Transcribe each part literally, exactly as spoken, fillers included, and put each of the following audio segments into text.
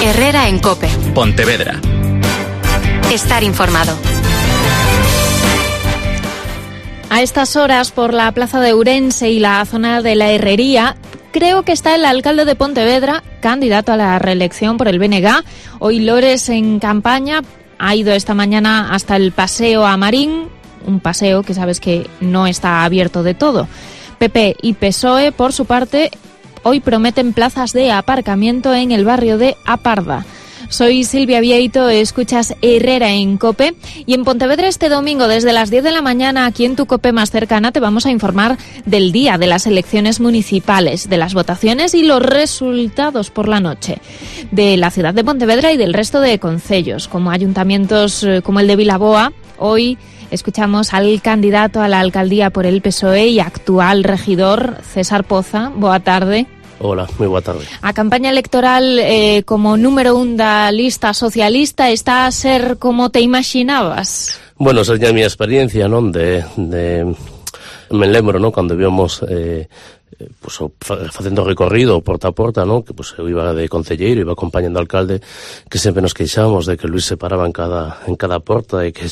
Herrera en COPE. Pontevedra. Estar informado. A estas horas, por la plaza de Ourense y la zona de la Herrería, creo que está el alcalde de Pontevedra, candidato a la reelección por el B N G. Hoy Lores en campaña, ha ido esta mañana hasta el paseo a Marín, un paseo que sabes que no está abierto de todo. P P y P S O E, por su parte, hoy prometen plazas de aparcamiento en el barrio de Aparda. Soy Silvia Vieito, escuchas Herrera en COPE, y en Pontevedra este domingo desde las diez de la mañana, aquí en tu COPE más cercana, te vamos a informar del día de las elecciones municipales, de las votaciones y los resultados por la noche, de la ciudad de Pontevedra y del resto de concellos, como ayuntamientos como el de Vilaboa. Hoy escuchamos al candidato a la alcaldía por el P S O E y actual regidor, César Poza. Boa tarde. Hola, moi boa tarde. A campaña electoral eh, como número un da lista socialista está a ser como te imaginabas? Bueno, esa é a miña experiencia, non? De, de me lembro, non? Cando íbamos eh, pues, facendo recorrido porta a porta, non? Que pues, eu iba de concelleiro, iba acompañando ao alcalde, que sempre nos queixamos de que Luis se paraba en cada en cada porta e que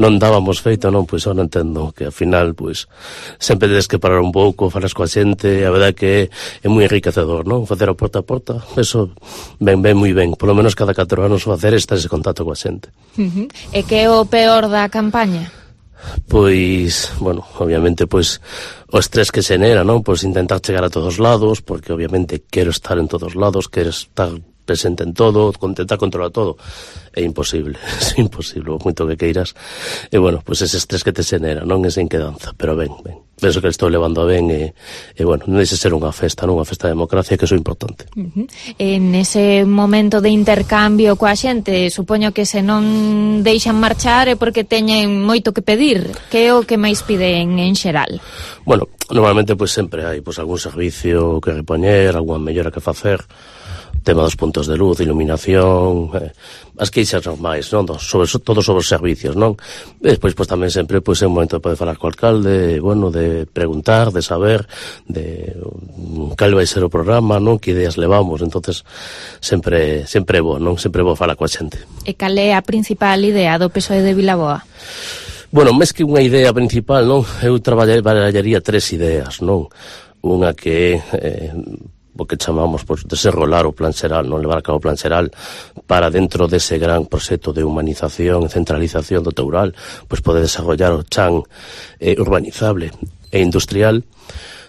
non dábamos feito, non? Pois eu non entendo que ao final, pois, sempre tedes que parar un pouco, falas coa xente, a verdade que é moi enriquecedor, non? Facer a porta a porta, eso ben, ben moi ben, polo menos cada catro anos facer estar ese contacto coa xente. Uh-huh. E que é o peor da campaña? Pois, bueno, obviamente, pois, o estrés que se genera, non? Pois intentar chegar a todos lados, porque obviamente quero estar en todos lados, quero estar presente en todo, intentar controlar todo. É imposible, é imposible, o moito que queiras. E, bueno, pois ese estrés que te genera, non? Esa inquedanza, pero ben, ben. Penso que estou levando a ben e, e bueno, non deixe ser unha festa, non? Unha festa de democracia, que iso é importante. Uh-huh. En ese momento de intercambio coa xente, supoño que se non deixan marchar é porque teñen moito que pedir. Que é o que máis piden en xeral? Bueno, normalmente, pois sempre hai pois algún servicio que repoñer, algunha mellora que facer, tema dos puntos de luz, iluminación, eh, as queixas normais, non? Sobre, todo sobre os servicios, non? E despois, pois, tamén sempre, pois, é un momento de poder falar co alcalde, bueno, de preguntar, de saber, de cal vai ser o programa, non? Que ideas levamos, entonces sempre, sempre é bo, non? Sempre é bo falar coa xente. E cal é a principal idea do P S O E de Vilaboa? Bueno, máis que unha idea principal, non? Eu traballaría tres ideas, non? Unha que é... Eh, o que chamamos pues, desenrolar o plan xeral, non levar a cabo o plan xeral para dentro dese gran proxecto de humanización e centralización do Teural, pois poder desarrollar o chan eh, urbanizable e industrial.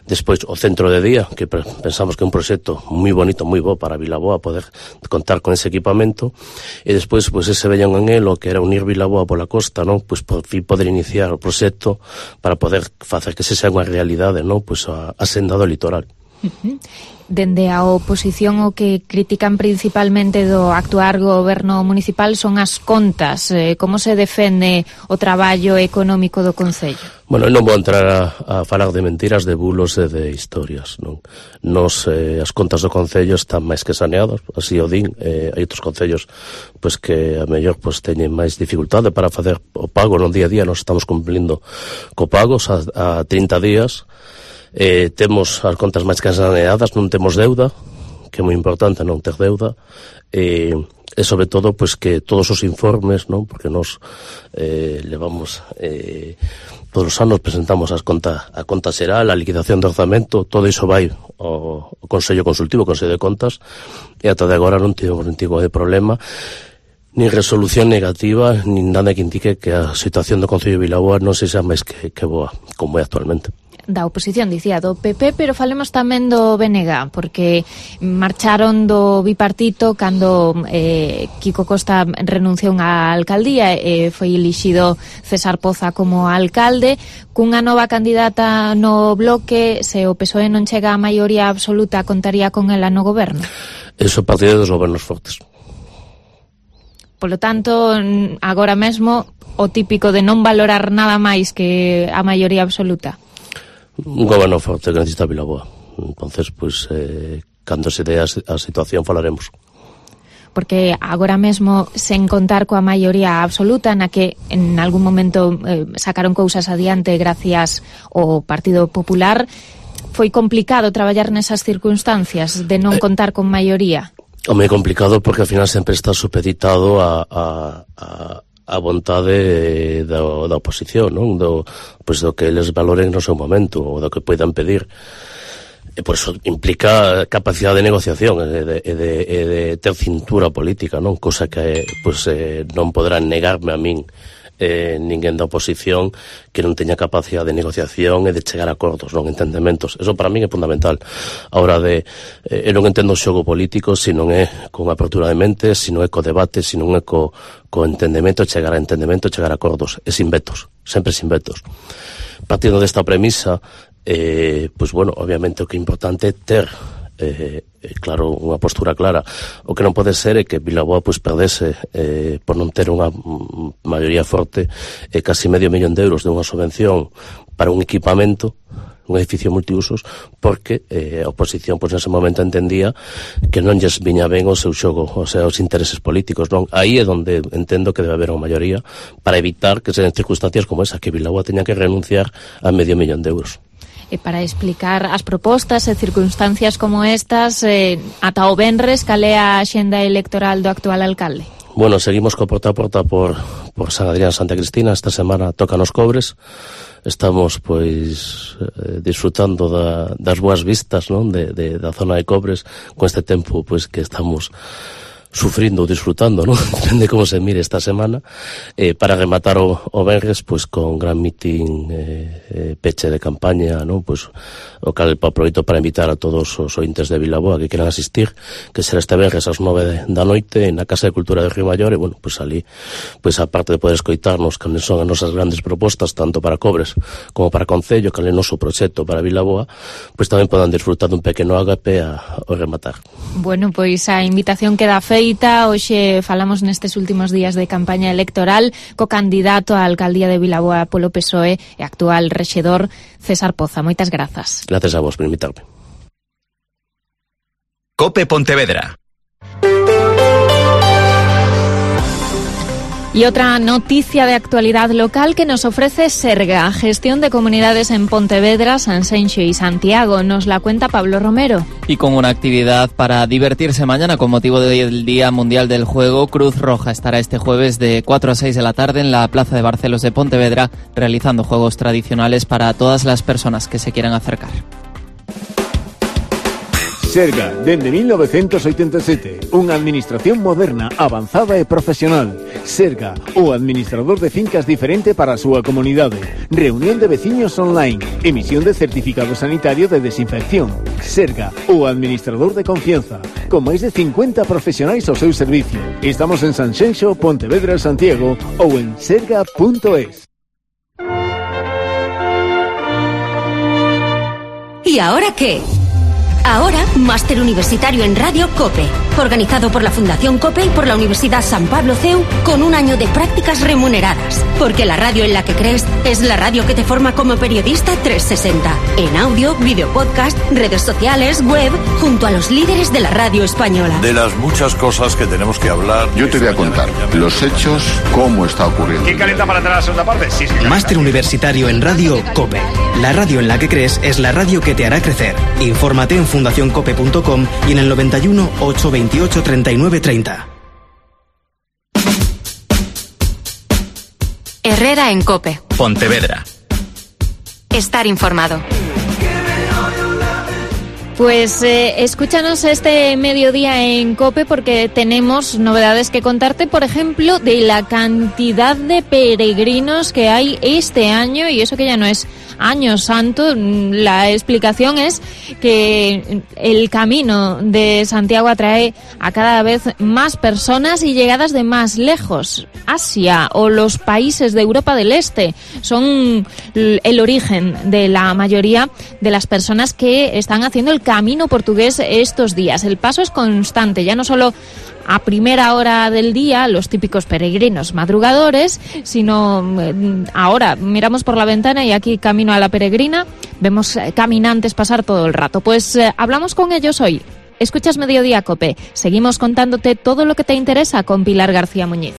Despois o centro de día, que pensamos que é un proxecto moi bonito, moi bo para Vilaboa poder contar con ese equipamento, e despois pois ese vello anhelo que era unir Vilaboa pola costa, non? Pois por fin poder iniciar o proxecto para poder facer que se sea unha realidade, non? Pois a, a senda do litoral. Uh-huh. Dende a oposición o que critican principalmente do actual goberno municipal son as contas. Eh, como se defende o traballo económico do Concello? Bueno, non vou entrar a, a falar de mentiras, de bulos e de historias, non? Nos, eh, as contas do Concello están máis que saneadas, así o din. Eh, hai outros concellos pois, que a mellor pois, teñen máis dificultade para facer o pago no día a día. Nos estamos cumplindo co pagos a, a trinta días. Eh, temos as contas máis que saneadas, non temos deuda, que é moi importante non ter deuda, e, e sobre todo pois que todos os informes, non, porque nos eh, levamos eh, todos os anos presentamos as contas, a conta xeral, a liquidación do orzamento, todo iso vai ao, ao Consello Consultivo, ao Consello de Contas, e ata de agora non tivemos ningún tipo de problema, nin resolución negativa, nin nada que indique que a situación do Concello de Vilaboa non se xa máis que, que boa, como é actualmente. Da oposición, dicía, do P P, pero falemos tamén do B N G, porque marcharon do bipartito cando eh, Kiko Costa renunciou á alcaldía e foi elixido César Poza como alcalde, cunha nova candidata no bloque. Se o P S O E non chega á maioría absoluta, contaría con ela no goberno? Eso é partido dos gobernos fortes. Polo tanto, agora mesmo, o típico de non valorar nada máis que a maioría absoluta. Un goberno forte que necesita Vilaboa. Entonces, pues, eh, cando se dé a, a situación falaremos. Porque agora mesmo, sen contar coa maioría absoluta, na que en algún momento eh, sacaron cousas adiante gracias ao Partido Popular, foi complicado traballar nesas circunstancias de non contar con maioría. O moi complicado porque ao final sempre está supeditado a, a, a, a vontade da, da oposición, non? Do, pois do que eles valoren no seu momento, ou do que poidan pedir. E por eso implica capacidade de negociación e de, e de, e de ter cintura política, non? Cosa que pois, eh, non poderán negarme a min eh, ninguén da oposición que non teña capacidade de negociación e de chegar a acordos, non entendementos. Eso para min é fundamental. A hora de, eh, eu non entendo o xogo político se non é con apertura de mente, se non é co debate, se non é co, co entendemento, chegar a entendemento, chegar a acordos. É sin vetos, sempre sin vetos. Partindo desta premisa, eh, pois bueno, obviamente o que é importante é ter Eh, claro, unha postura clara. O que non pode ser é que Vilaboa pois perdese eh, por non ter unha maioría forte e eh, casi medio millón de euros de unha subvención para un equipamento, un edificio multiusos, porque eh, a oposición pois nese momento entendía que non lles viña ben o seu xogo, o sea, os intereses políticos, non? Aí é onde entendo que debe haber unha maioría para evitar que sean circunstancias como esa, que Vilaboa teña que renunciar a medio millón de euros. E para explicar as propostas e circunstancias como estas, eh, ata o venres, cal é a axenda electoral do actual alcalde? Bueno, seguimos co porta a porta por, por San Adrián, Santa Cristina. Esta semana tocan os Cobres. Estamos, pois, eh, disfrutando da, das boas vistas, non? De, de, da zona de Cobres, con este tempo, pois, que estamos sufrindo ou disfrutando, non? Depende como se mire esta semana, eh, para rematar o, o venres, pois, con gran mitin eh, eh, peche de campaña, non? Pois, o cal aproveito para invitar a todos os ointes de Vilaboa que queran asistir, que será este venres ás nove da noite na Casa de Cultura de Río Maior, e, bueno, pois, ali, pois, aparte de poder escoitarnos cales son as nosas grandes propostas, tanto para Cobres como para Concello, cal é o noso proxecto para Vilaboa, pois tamén podan disfrutar dun pequeno ágape a, a rematar. Bueno, pois a invitación queda feita. Hoxe falamos nestes últimos días de campaña electoral co candidato á alcaldía de Vilaboa polo P S O E e actual rexedor César Poza. Moitas grazas. Gracias a vos por invitarme. Cope Pontevedra. Y otra noticia de actualidad local que nos ofrece Serga, gestión de comunidades en Pontevedra, Sanxenxo y Santiago. Nos la cuenta Pablo Romero. Y con una actividad para divertirse mañana con motivo del Día Mundial del Juego, Cruz Roja estará este jueves de cuatro a seis de la tarde en la Plaza de Barcelos de Pontevedra realizando juegos tradicionales para todas las personas que se quieran acercar. Serga, dende mil novecientos oitenta e sete, unha administración moderna, avanzada e profesional. Serga, o administrador de fincas diferente para a súa comunidade. Reunión de veciños online, emisión de certificado sanitario de desinfección. Serga, o administrador de confianza, con máis de cincuenta profesionais ao seu servicio. Estamos en Sanxenxo, Pontevedra, Santiago ou en serga punto es. ¿Y ahora qué? Ahora, Máster Universitario en Radio COPE, organizado por la Fundación COPE y por la Universidad San Pablo C E U, con un año de prácticas remuneradas. Porque la radio en la que crees es la radio que te forma como periodista trescientos sesenta. En audio, video podcast, redes sociales, web, junto a los líderes de la radio española. De las muchas cosas que tenemos que hablar. Yo te voy a contar los hechos, cómo está ocurriendo. ¿Quién calienta para entrar a la segunda parte? Sí, sí, Máster Universitario en Radio COPE. La radio en la que crees es la radio que te hará crecer. Infórmate en fundación cope punto com y en el noventa y uno, ochocientos veintiocho, treinta y nueve treinta. Herrera en COPE. Pontevedra. Estar informado. Pues eh, escúchanos este mediodía en COPE porque tenemos novedades que contarte, por ejemplo, de la cantidad de peregrinos que hay este año, y eso que ya no es Año Santo. La explicación es que el camino de Santiago atrae a cada vez más personas y llegadas de más lejos. Asia o los países de Europa del Este son el origen de la mayoría de las personas que están haciendo el camino portugués estos días. El paso es constante, ya no solo a primera hora del día, los típicos peregrinos madrugadores, sino ahora miramos por la ventana y aquí camino a la peregrina, vemos caminantes pasar todo el rato. Pues eh, hablamos con ellos hoy. Escuchas Mediodía COPE. Seguimos contándote todo lo que te interesa con Pilar García Muñiz.